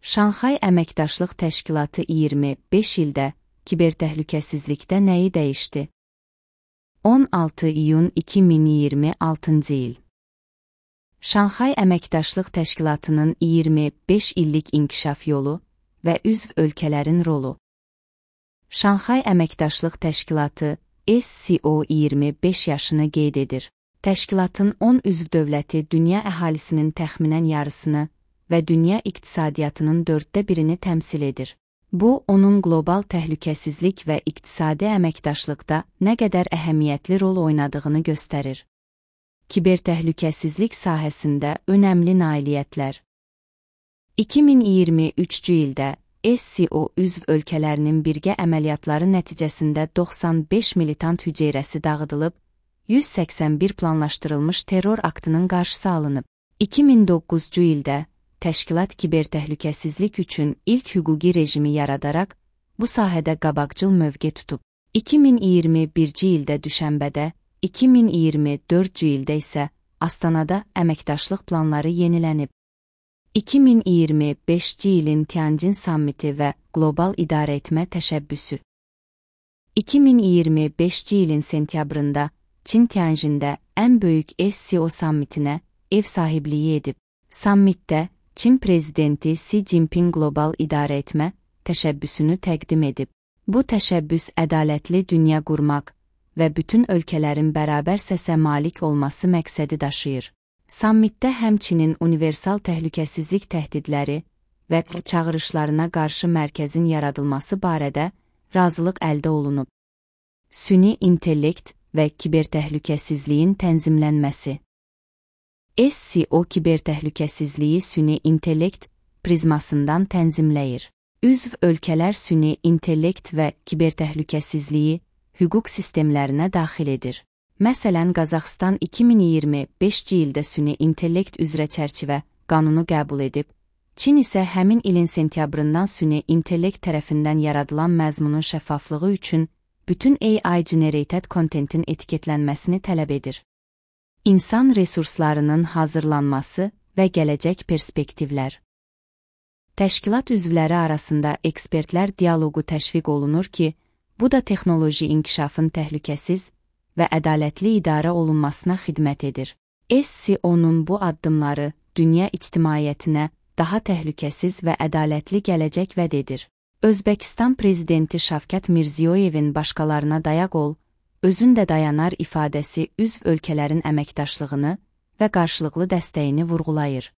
Şanxay Əməkdaşlıq Təşkilatı 25 ildə kibertəhlükəsizlikdə nəyi dəyişdi? 16 iyun 2026-cı il. Şanxay Əməkdaşlıq Təşkilatının 25 illik inkişaf yolu və üzv ölkələrin rolu. Şanxay Əməkdaşlıq Təşkilatı SCO 25 yaşını qeyd edir. Təşkilatın 10 üzv dövləti dünya əhalisinin təxminən yarısını və dünya iqtisadiyyatının 1/4-ni təmsil edir. Bu, onun qlobal təhlükəsizlik və iqtisadi əməkdaşlıqda nə qədər əhəmiyyətli rol oynadığını göstərir. Kibertəhlükəsizlik sahəsində önəmli nailiyyətlər. 2023-cü ildə SCO üzv ölkələrinin birgə əməliyyatları nəticəsində 95 militant hüceyrəsi dağıdılıb, 181 planlaşdırılmış terror aktının qarşısı alınıb. 2009-cu ildə təşkilat kibertəhlükəsizlik üçün ilk hüquqi rejimi yaradaraq, bu sahədə qabaqcıl mövqe tutub. 2021-ci ildə Düşənbədə, 2024-cü ildə isə Astanada əməkdaşlıq planları yenilənib. 2025-ci ilin Tianjin sammiti və qlobal idarəetmə təşəbbüsü. 2025-ci ilin sentyabrında Çin Tianjində ən böyük SCO sammitinə ev sahibliyi edib. Sammitdə Çin prezidenti Xi Jinping qlobal idarəetmə təşəbbüsünü təqdim edib. Bu təşəbbüs ədalətli dünya qurmaq və bütün ölkələrin bərabər səsə malik olması məqsədi daşıyır. Sammitdə həmçinin universal təhlükəsizlik təhdidləri və çağırışlarına qarşı mərkəzin yaradılması barədə razılıq əldə olunub. Süni intellekt və kibertəhlükəsizliyin tənzimlənməsi. SCO kibertəhlükəsizliyi süni intellekt prizmasından tənzimləyir. Üzv ölkələr süni intellekt və kibertəhlükəsizliyi hüquq sistemlərinə daxil edir. Məsələn, Qazaxıstan 2025-ci ildə süni intellekt üzrə çərçivə qanunu qəbul edib, Çin isə həmin ilin sentyabrından süni intellekt tərəfindən yaradılan məzmunun şəffaflığı üçün bütün AI-generated content-in etiketlənməsini tələb edir. İnsan resurslarının hazırlanması və gələcək perspektivlər. Təşkilat üzvləri arasında ekspertlər dialoqu təşviq olunur ki, bu da texnoloji inkişafın təhlükəsiz və ədalətli idarə olunmasına xidmət edir. SCO-nun bu addımları dünya ictimaiyyətinə daha təhlükəsiz və ədalətli gələcək vəd edir. Özbəkistan prezidenti Şavkat Mirziyoyevin başqalarına dayaq ol, özün də dayanar ifadəsi üzv ölkələrin əməkdaşlığını və qarşılıqlı dəstəyini vurğulayır.